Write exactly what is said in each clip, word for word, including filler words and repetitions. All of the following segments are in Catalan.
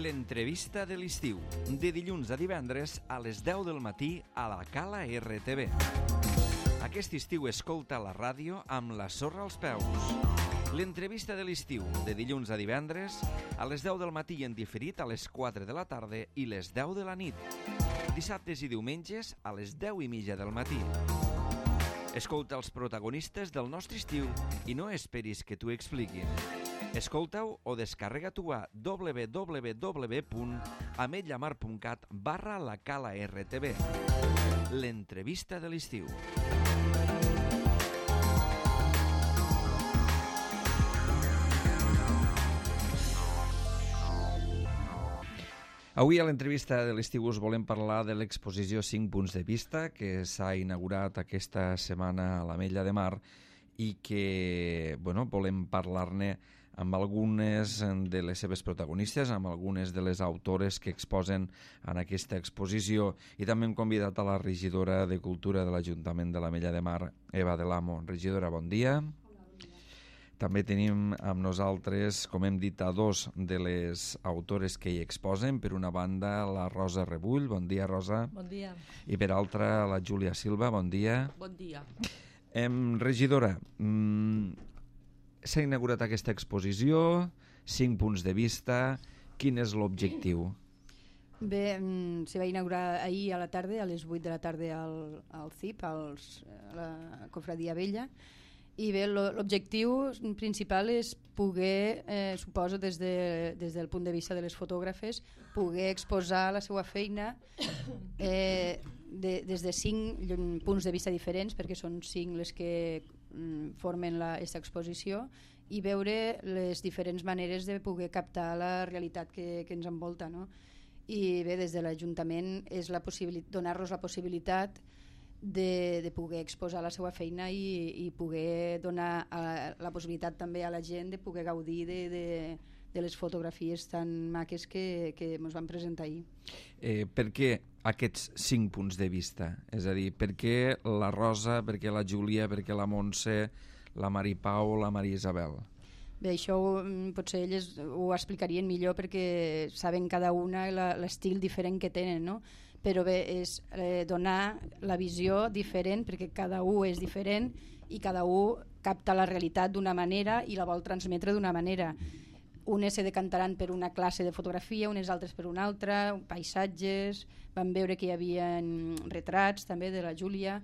L'entrevista de l'estiu, de dilluns a divendres a les deu del matí a la Cala R T V. Aquest estiu escolta la ràdio amb la sorra als peus. L'entrevista de l'estiu, de dilluns a divendres a les deu del matí en diferit a les quatre de la tarda i les deu de la nit. Dissabtes i diumenges a les deu i mitja del matí. Escolta els protagonistes del nostre estiu i no esperis que t'ho expliquin. Escolta-ho o descarrega-t'ho a w w w punt ametlllamar punt cat barra la Cala R T V. L'entrevista de l'estiu. Avui a l'entrevista de l'estiu us volem parlar de l'exposició cinc punts de vista que s'ha inaugurat aquesta setmana a l'Ametlla de Mar i que, bueno, volem parlar-ne amb algunes de les seves protagonistes, amb algunes de les autores que exposen en aquesta exposició, i també hem convidat a la regidora de Cultura de l'Ajuntament de l'Ametlla de Mar, Eva de l'Amo. Regidora, bon dia. Hola, bon dia. També tenim amb nosaltres, com hem dit, a dos de les autores que hi exposen. Per una banda, la Rosa Rebull. Bon dia, Rosa. Bon dia. I per altra, la Júlia Silva. Bon dia. Bon dia. Em, regidora, mm, s'ha inaugurat aquesta exposició, cinc punts de vista. Quin és l'objectiu? Bé, mm, se va inaugurar ahir a la tarda, a les vuit de la tarda al, al C I P, als, a la Cofradia Vella, i bé, lo, l'objectiu principal és poder, eh, suposo des, de, des del punt de vista de les fotògrafes, poder exposar la seva feina eh, de, des de cinc punts de vista diferents, perquè són cinc les que mm, formen aquesta exposició, i veure les diferents maneres de poder captar la realitat que, que ens envolta, no? I bé, des de l'Ajuntament és la possibilitat, donar-nos la possibilitat de, de poder exposar la seva feina i, i poder donar a, la possibilitat també a la gent de poder gaudir de, de, de les fotografies tan maques que, que ens van presentar ahir. Eh, per què aquests cinc punts de vista? És a dir, per què la Rosa, per què la Júlia, per què la Montse, la Maripau o la Maria Isabel? Bé, això potser elles ho explicarien millor perquè saben cada una la, l'estil diferent que tenen, no? Però bé, és eh, donar la visió diferent, perquè cada un és diferent i cada un capta la realitat d'una manera i la vol transmetre d'una manera. Unes se decantaran per una classe de fotografia, unes altres per una altra, paisatges. Vam veure que hi havia retrats també de la Júlia,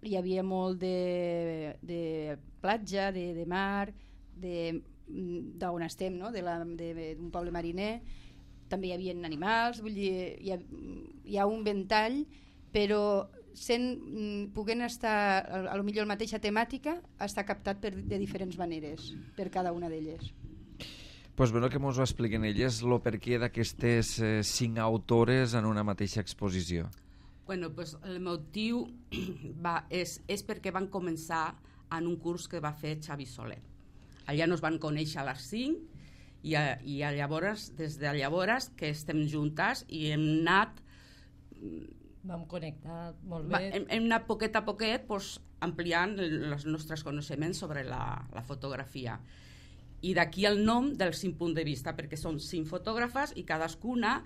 hi havia molt de, de platja, de, de mar, d'on estem, no? de la, de, d'un poble mariner. També hi havia animals, vull dir, hi ha, hi ha un ventall, però sent, puguent estar, a lo millor la mateixa temàtica, està captat per, de diferents maneres, per cada una d'elles. Pues bueno, que mos ho expliquen elles, el perquè d'aquestes eh, cinc autores en una mateixa exposició. Bueno, pues el motiu va, és, és perquè van començar en un curs que va fer Xavi Soler. Allà nos van conèixer a les cinc i, a, i a llavors, des de llavors que estem juntes i hem anat vam connectar molt va, bé hem, hem anat poquet a poquet pues, ampliant els nostres coneixements sobre la, la fotografia, i d'aquí el nom del cinc punts de vista, perquè són cinc fotògrafes i cadascuna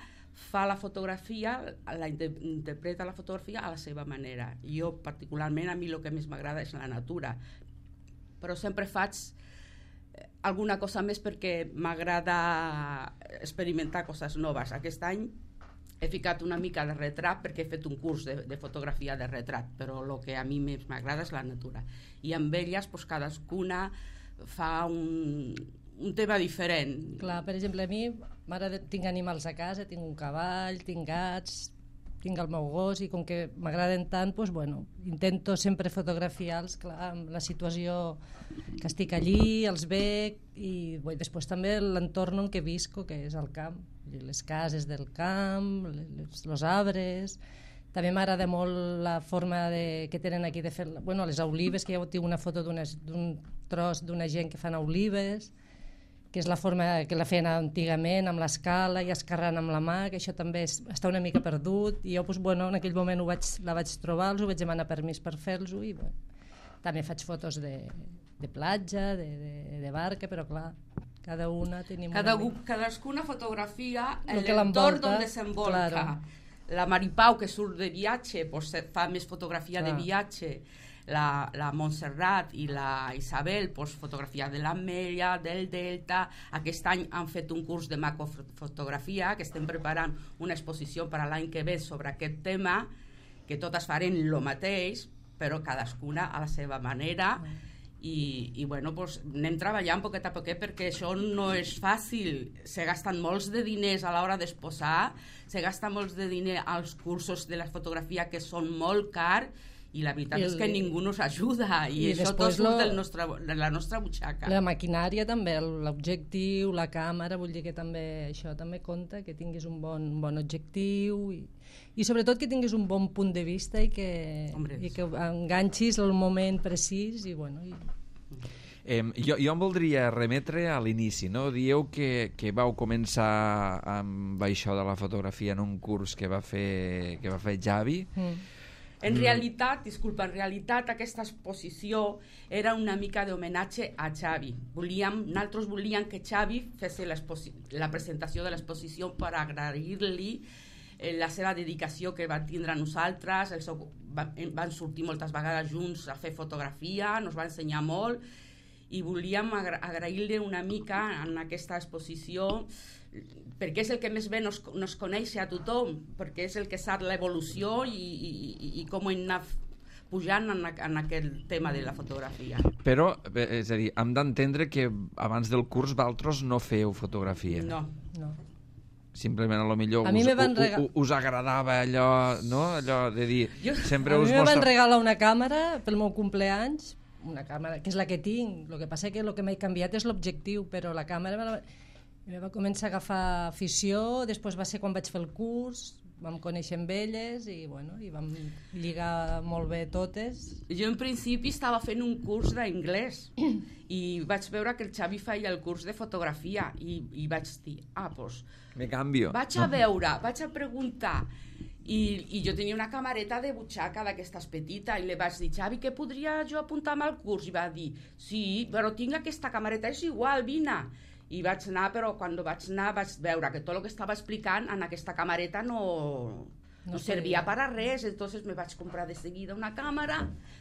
fa la fotografia, la interpreta la fotografia a la seva manera. Jo particularment, a mi el que més m'agrada és la natura, però sempre faig alguna cosa més perquè m'agrada experimentar coses noves. Aquest any he ficat una mica de retrat perquè he fet un curs de, de fotografia de retrat, però el que a mi més m'agrada és la natura. I amb elles pues, cadascuna fa un, un tema diferent. Clar, per exemple, a mi tinc animals a casa, tinc un cavall, tinc gats, tinc el meu gos, i com que m'agraden tant, doncs, bueno, intento sempre fotografiar-los, clar, amb la situació que estic allí, els veig, i bueno, després també l'entorn en què visco, que és el camp, les cases del camp, els, els arbres. També m'agrada molt la forma de, que tenen aquí de fer, bueno, les olives, que ja tinc una foto d'un tros d'una gent que fan olives, que és la forma que la feien antigament, amb l'escala i escarrant amb la mà, que això també és, està una mica perdut, i jo, doncs, bueno, en aquell moment ho vaig, la vaig trobar, els ho vaig demanar permís per fer-los, i bueno, també faig fotos de, de platja, de, de, de barca, però clar, cada una tenim Cada, una mica. cadascuna fotografia Lo que l'entorn l'envolta, on desenvolca. claro. La Maripau, que surt de viatge, pues, fa més fotografia Clar. de viatge. La, la Montserrat i la Isabel, pues, fotografia de l'Ametlla, del Delta. Aquest any han fet un curs de macrofotografia, que estem preparant una exposició per a l'any que ve sobre aquest tema, que totes farem el mateix, però cadascuna a la seva manera. I, i bueno, pues, anem treballant poquet a poquet, perquè això no és fàcil. Se gasten molts de diners a l'hora d'exposar, se gasten molts de diners als cursos de la fotografia, que són molt cars, i la veritat I el, és que ningú nos ajuda, i, i això tot surt del nostre, de la nostra butxaca. La maquinària també, l'objectiu, la càmera, vull dir que també això també compta, que tinguis un bon, un bon objectiu i, i sobretot que tinguis un bon punt de vista i que, i que enganxis el moment precís i bueno... I... Eh, jo, jo em voldria remetre a l'inici, no? Dieu que, que vau començar amb això de la fotografia en un curs que va fer, que va fer Xavi. Mm. En realitat, disculpa, en realitat aquesta exposició era una mica d'homenatge a Xavi. Volíem, nosaltres volíem que Xavi fes la presentació de l'exposició per agrair-li eh, la seva dedicació que va tindre a nosaltres. El seu, va, van sortir moltes vegades junts a fer fotografia, nos va ensenyar molt, i volíem agra agrair-li una mica en aquesta exposició, perquè és el que més bé nos, nos coneix a tothom, perquè és el que sap l'evolució i, i, i com hem anat pujant en, en aquest tema de la fotografia. Però, és a dir, hem d'entendre que abans del curs vosaltres no feu fotografia. No. no. Simplement, a lo millor a us, rega... us, us agradava allò, no? Allò de dir... Jo... Sempre a us mi me mostra... van regalar una càmera pel meu compleanys, una càmera que és la que tinc, el que passa que el que m'he canviat és l'objectiu, però la càmera me la... I va començar a agafar afició, després va ser quan vaig fer el curs, vam conèixer amb elles i, bueno, i vam lligar molt bé totes. Jo en principi estava fent un curs d'anglès i vaig veure que el Xavi feia el curs de fotografia i, i vaig dir, ah, doncs... Me canvio. Vaig a veure, vaig a preguntar i, i jo tenia una camareta de butxaca d'aquestes petita i li vaig dir, Xavi, que podria jo apuntar-me al curs? I va dir, sí, però tinc aquesta camareta, és igual, vine. I vaig anar, però quan vaig anar vaig veure que tot el que estava explicant en aquesta camareta no, no, no servia per a res, entonces me vaig comprar de seguida una càmera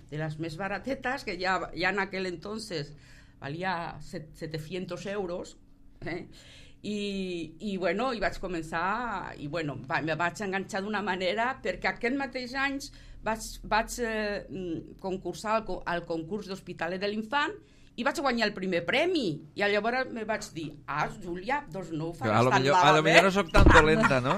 de les més baratetes, que ja, ja en aquel entonces valia setecientos euros, eh? I, i bueno, i vaig començar, i bueno, va, me vaig enganxar d'una manera, perquè aquest mateix any vaig, vaig eh, concursar al, al concurs d'Hospitalet de l'Infant i vaig guanyar el primer premi, i llavors me vaig dir, ah, Júlia, doncs no ho faràs tan millor, malament. A lo millor no soc tan dolenta, no?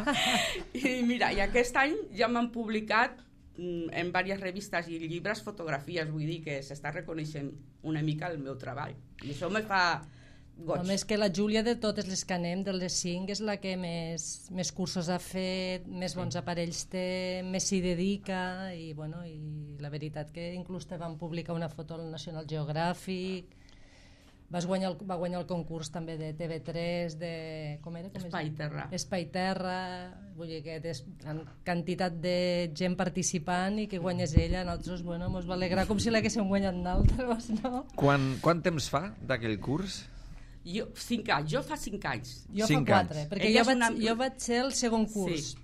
I mira, i aquest any ja m'han publicat mm, en diverses revistes i llibres fotografies, vull dir que s'està reconeixent una mica el meu treball, i això me fa goig. A més que la Júlia, de totes les que anem, de les cinc, és la que més, més cursos ha fet, més bons aparells té, més s'hi dedica, i, bueno, i la veritat que inclús te van publicar una foto al National Geographic, vas guanyar el, va guanyar el concurs també de T V tres, de... Com era? Com Espai Terra. Espai Terra, vull dir que és quantitat de gent participant i que guanyes ella, nosaltres, bueno, mos va alegrar com si l'haguéssim guanyat nosaltres, no? Quan, quant temps fa d'aquell curs? Jo, cinc anys, jo fa cinc anys. Jo cinc fa quatre, anys. perquè jo vaig, una... jo vaig ser el segon curs, sí.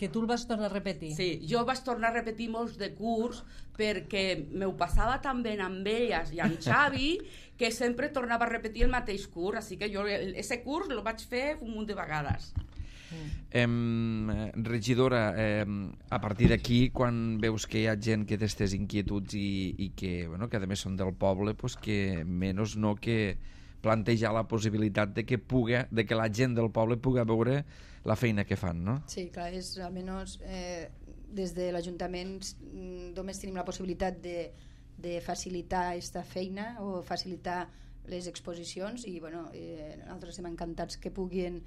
Que tu el vas tornar a repetir. Sí, jo vaig tornar a repetir molts de curs perquè m'ho passava tan bé amb elles i amb Xavi que sempre tornava a repetir el mateix curs, així que jo ese curs el vaig fer un munt de vegades. Mm. Eh, regidora, eh, a partir d'aquí, quan veus que hi ha gent que té aquestes inquietuds i, i que, bueno, que a més són del poble, pues que menys no que plantejar la possibilitat de que, puga, de que la gent del poble pugui veure la feina que fan, no? Sí, clar, és almenys eh, des de l'Ajuntament només tenim la possibilitat de, de facilitar aquesta feina o facilitar les exposicions i bueno, eh, nosaltres estem encantats que puguin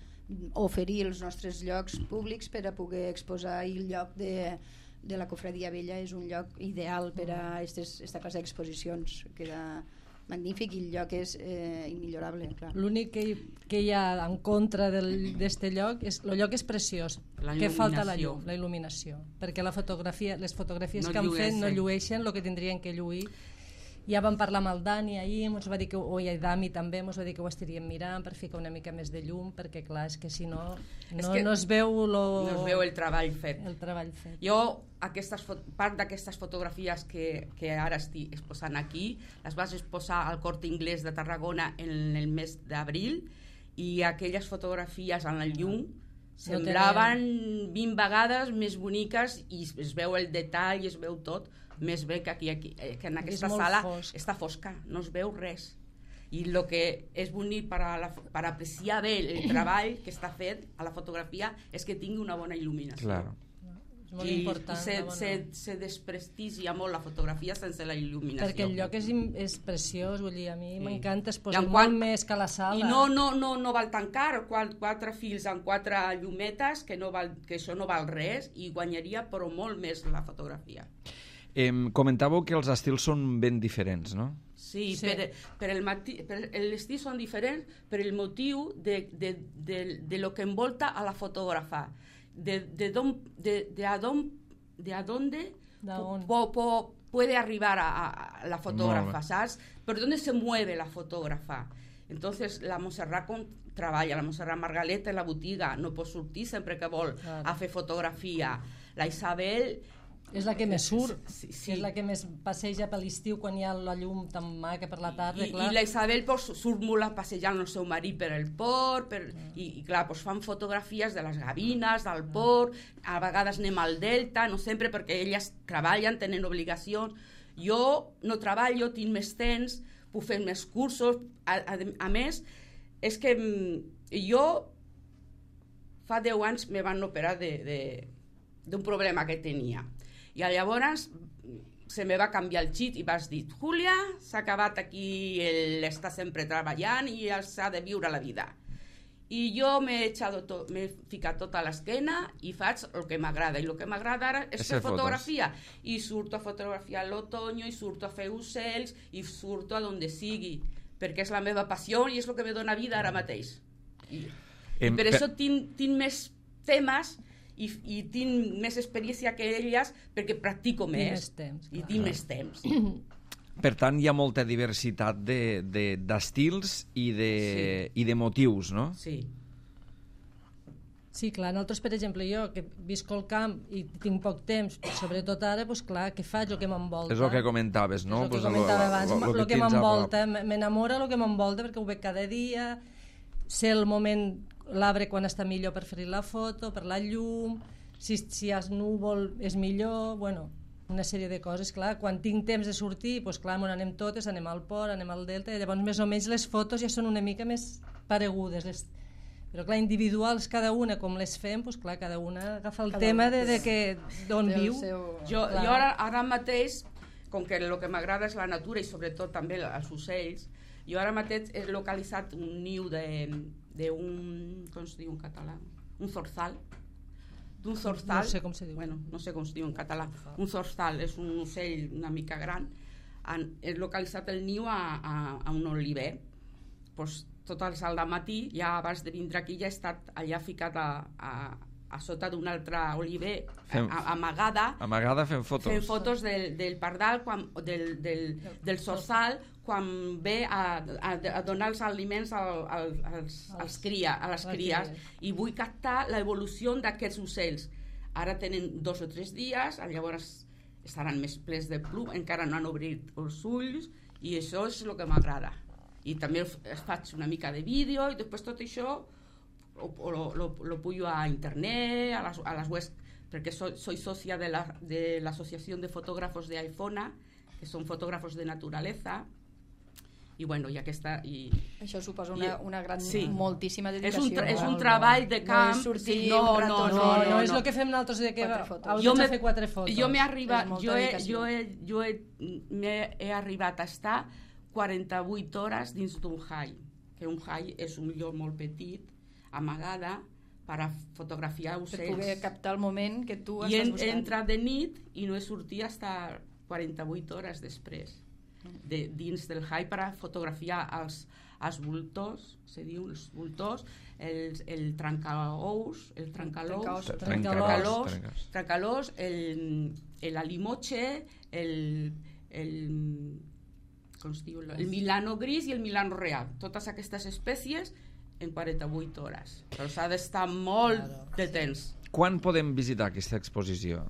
oferir els nostres llocs públics per a poder exposar, i el lloc de, de la Cofradia Vella és un lloc ideal per a aquesta classe d'exposicions, que era magnífic, i el lloc és eh, immillorable. L'únic que, que hi ha en contra d'aquest lloc és el lloc és preciós, que falta la llum, la il·luminació, perquè la fotografia, les fotografies no que han fet no llueixen el que tindrien que lluir, Ja vam parlar amb el Dani ahir, ens va dir que, o el Dami també, ens va dir que ho estaríem mirant per ficar una mica més de llum, perquè clar, és que si no, no, que no es veu lo... no es veu el treball fet. El treball fet. Jo, aquestes, part d'aquestes fotografies que, que ara estic exposant aquí, les vas exposar al Corte Inglés de Tarragona en el mes d'abril, i aquelles fotografies en la llum semblaven vint vegades més boniques i es veu el detall i es veu tot més bé que aquí, aquí que en aquesta sala fosc. Està fosca, no es veu res. I el que és bonic per, a la, per apreciar bé el treball que està fet a la fotografia és que tingui una bona il·luminació. Claro. És molt I important. se, bona... se, se desprestigia molt la fotografia sense la il·luminació. Perquè el lloc és, és preciós, vull dir, a mi sí. m'encanta, es posa quan... molt més que la sala. I no, no, no, no val tan car, quatre, quatre fils amb quatre llumetes, que, no val, que això no val res, i guanyaria però molt més la fotografia. Eh, comentàveu que els estils són ben diferents, no? Sí, sí. per, per el mati, per l'estil són diferents per el motiu de, de, de, de lo que envolta a la fotògrafa, de, de, don, de, de a don, de a donde po, po, puede arribar a, a la fotógrafa, ¿sabes? Por dónde se mueve la fotógrafa. Entonces, la Montserrat com treballa, la Montserrat Margaleta en la botiga, no pot sortir sempre que vol claro. a fer fotografia. La Isabel... És la que més surt, sí, sí. és la que més passeja per l'estiu quan hi ha la llum tan maca per la tarda. I, clar. i la Isabel pues, surt molt a passejar el seu marit per el port, per, mm. i, i clar, pues, fan fotografies de les gavines, del port, a vegades anem al delta, no sempre, perquè elles treballen, tenen obligacions. Jo no treballo, tinc més temps, puc fer més cursos, a, a, a més, és que jo fa deu anys me van operar de, de, d'un problema que tenia. I llavors se me va canviar el xip i vas dir, Júlia, s'ha acabat aquí l'estar sempre treballant i s'ha de viure la vida. I jo m'he to, ficat tota a l'esquena i faig el que m'agrada. I el que m'agrada ara és fer fotografia. I surto a fotografiar l'otoño, i surto a fer ocells, i surto a donde sigui, perquè és la meva passió i és el que me dona vida ara mateix. I, i per això tinc, tinc més temes I, i tinc més experiència que elles perquè practico més, més temps, i tinc més temps. Per tant, hi ha molta diversitat de, de, d'estils i de, sí. i de motius, no? Sí. Sí, clar, nosaltres, per exemple, jo, que visc al camp i tinc poc temps, sobretot ara, doncs clar, què faig? El que m'envolta. És el que comentaves, no? És el que pues comentava abans, lo, lo, lo el que, que m'envolta, m'enamora el que m'envolta perquè ho veig cada dia, sé el moment, l'arbre quan està millor per fer la foto, per la llum, si, si hi ha núvol és millor, bueno, una sèrie de coses, clar, quan tinc temps de sortir, doncs clar, on anem totes, anem al port, anem al delta, i llavors més o menys les fotos ja són una mica més paregudes, les... però clar, individuals cada una, com les fem, doncs clar, cada una agafa el cada tema de, de que d'on viu. Seu... Jo, jo ara, ara mateix, com que el que m'agrada és la natura i sobretot també els ocells, jo ara mateix he localitzat un niu de... d'un, com es diu en català? Un zorzal. D'un zorzal. No sé com se diu. Bueno, no sé com es diu en català. Un zorzal és un ocell una mica gran. Han, he localitzat el niu a, a, a un oliver. Pues, tot el salt de matí, ja abans de vindre aquí, ja he estat allà ficat a, a, a sota d'un altre oliver, fem, a, amagada. Amagada fent fotos. Fent fotos del, del pardal, quan, del, del, del zorzal, quan ve a, a, a donar els aliments al, al, als, als cria, a les cries, i vull captar l'evolució d'aquests ocells. Ara tenen dos o tres dies, llavors estaran més plens de plom, encara no han obrit els ulls, i això és el que m'agrada. I també faig una mica de vídeo, i després tot això lo, lo, lo, lo pujo a internet, a les, a les webs, perquè soy, soy socia de la, de l'Associació de Fotògrafos de iPhone, que són fotògrafos de naturaleza, i bueno, i aquesta... I, això suposa una, una gran, sí. moltíssima dedicació. És un, tra és un treball de camp... No, sí, no, no, no, no, no, no, és el que fem nosaltres de que jo me, fer quatre fotos. Jo m'he arribat, jo, he, jo, he, jo he, he, he arribat a estar quaranta-vuit hores dins d'un hall, que un hall és un lloc molt petit, amagada, per a fotografiar ocells. Per poder captar el moment que tu I estàs buscant. I entra de nit i no he sortit fins quaranta-vuit hores després. De, dins del hall per a fotografiar els, els voltors, se diu, els voltors, el, el trencaous, el trencalós, trencalós, trencalós, el, el alimoche, el, el, com es diu, el Milano gris i el Milano real. Totes aquestes espècies en quaranta-vuit hores. Però s'ha d'estar molt claro, de temps. Sí. Quan podem visitar aquesta exposició?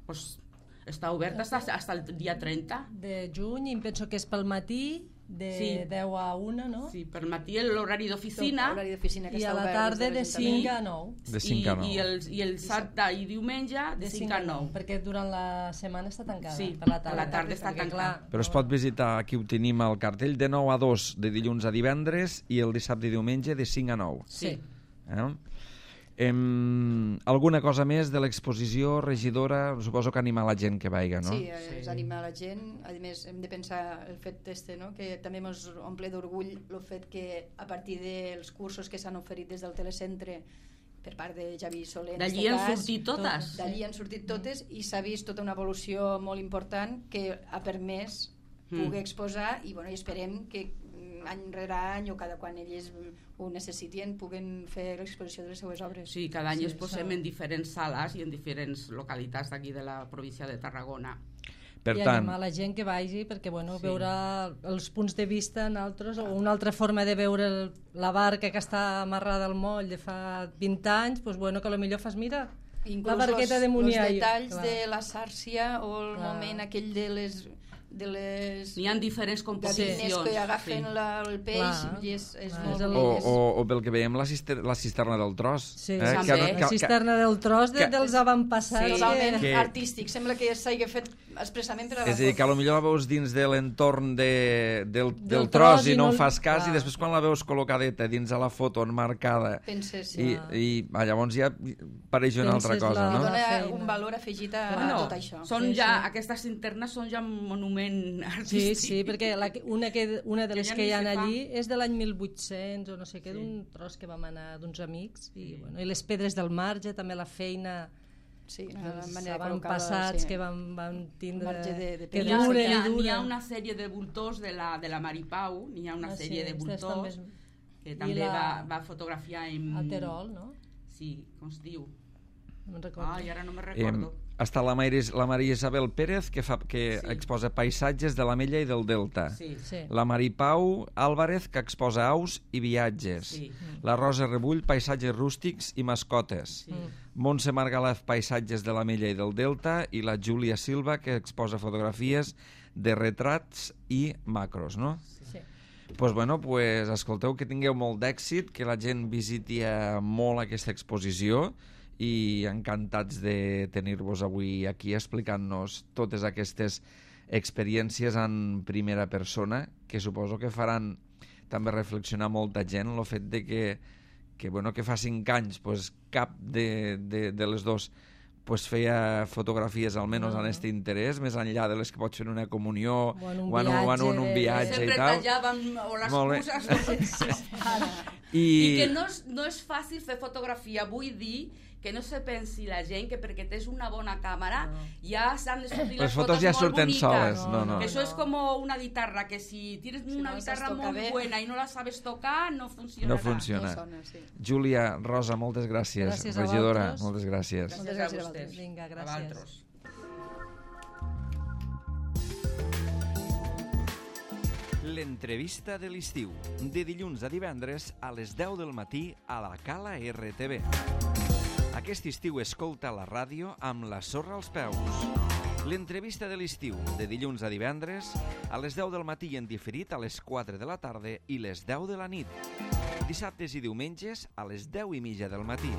Pues, està oberta fins al dia trenta. De juny, i penso que és pel matí, de sí. deu a una, no? Sí, per matí l'horari d'oficina. I a la tarda de cinc a nou. De cinc a nou. I, i el, i el dissabte i diumenge de cinc a nou. Perquè durant la setmana està tancada. Sí, per la tarda, a la tarda està tancada. Però es pot visitar, aquí ho tenim al cartell, de nou a dos de dilluns a divendres i el dissabte i diumenge de cinc a nou. Sí. Eh? Em, alguna cosa més de l'exposició, regidora? Suposo que anima la gent que vaiga, no? Sí, es anima la gent. A més, hem de pensar el fet este, no? Que també ens omple d'orgull el fet que a partir dels cursos que s'han oferit des del telecentre per part de Javi Soler, d'allí han sortit totes. D'allí han sortit totes i s'ha vist tota una evolució molt important que ha permès poder exposar i, bueno, i esperem que any rere any o cada quan ells ho necessitien puguen fer l'exposició de les seues obres. Sí, cada any sí, es posem en diferents sales i en diferents localitats d'aquí de la província de Tarragona. Per I tant, animar la gent que vagi perquè bueno, sí. veure els punts de vista en altres, o una altra forma de veure el, la barca que està amarrada al moll de fa vint anys, pues bueno, que potser fas, mira, inclús la barqueta los, de Muniaio. Els detalls clar. De la sàrcia o el clar. Moment aquell de les de les n'hi ha diferents composicions que agafen sí. la, el peix i és, és ah, molt és el... o, o, o pel que veiem la, cister la cisterna del tros, sí, eh? també. Que, que, la cisterna del tros de, que, dels avantpassats sí, totalment que... artístic, sembla que s'hagi fet expressament per a la és a dir, que potser la veus dins de l'entorn de, del, del, del tros tros i no en fas cas clar. I després quan la veus col·locadeta dins de la foto enmarcada penses, i, i ah, llavors ja pareix una penses altra cosa, la... no? dona un valor afegit a, bueno, a tot això són sí, ja, sí. aquestes cinternes són ja un monument artístic. Sí, sí, perquè la, una, que, una de les que, que hi ha allí fa. és de l'any mil vuit-cents o no sé què, sí. d'un tros que vam anar d'uns amics i, sí. bueno, i les pedres del marge, també la feina sí, dels avantpassats sí. que van, van tindre de, de que duren i duren. N'hi ha una sèrie de voltors de la, de la Maripau, n'hi ha una ah, sèrie sí, de voltors que també la... va, va fotografiar en... al Terol, no? Sí, com es diu? No me'n recordo. Ah, i ara no me'n recordo. Eh, està la Maria, la Maria Isabel Pérez que, fa, que sí. exposa paisatges de l'Ametlla i del Delta. Sí. Sí. La Maripau Álvarez que exposa aus i viatges. Sí. La Rosa Rebull paisatges rústics i mascotes. Sí. Montse Margalef paisatges de l'Ametlla i del Delta i la Júlia Silva que exposa fotografies de retrats i macros, no? Sí. Pues bueno, pues escolteu, que tingueu molt d'èxit, que la gent visiti molt aquesta exposició i encantats de tenir-vos avui aquí explicant-nos totes aquestes experiències en primera persona que suposo que faran també reflexionar molta gent el fet de que, que, bueno, que fa cinc anys pues, cap de, de, de les dos pues feia fotografies almenys no. en aquest interès, més enllà de les que pot fer en una comunió o en un o en, viatge, o en un viatge i tal. Sempre tallàvem o les coses. I... I que no és, no és fàcil fer fotografia, vull dir que no se pensi la gent que perquè tens una bona càmera no. ja s'han de sortir les, les fotos, fotos ja surten boniques. soles. No, no. Que això és com una guitarra, que si tienes si una no guitarra molt bé. Buena i no la sabes tocar, no funcionarà. No funciona. No sona, sí. Júlia, Rosa, moltes gràcies. Gràcies regidora, a moltes gràcies. Gràcies, gràcies a vostès. Vinga, gràcies. L'entrevista de l'estiu, de dilluns a divendres a les deu del matí a la Cala R T V. Aquest estiu escolta la ràdio amb la sorra als peus. L'entrevista de l'estiu, de dilluns a divendres, a les deu del matí en diferit a les quatre de la tarda i les deu de la nit. Dissabtes i diumenges a les deu i mitja del matí.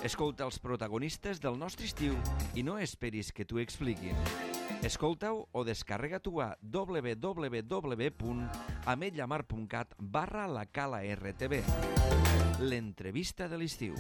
Escolta els protagonistes del nostre estiu i no esperis que t'ho expliquin. Escolta-ho o descarrega-t'ho a w w w punt ametlla mar punt cat barra la cala R T V. L'entrevista de l'estiu.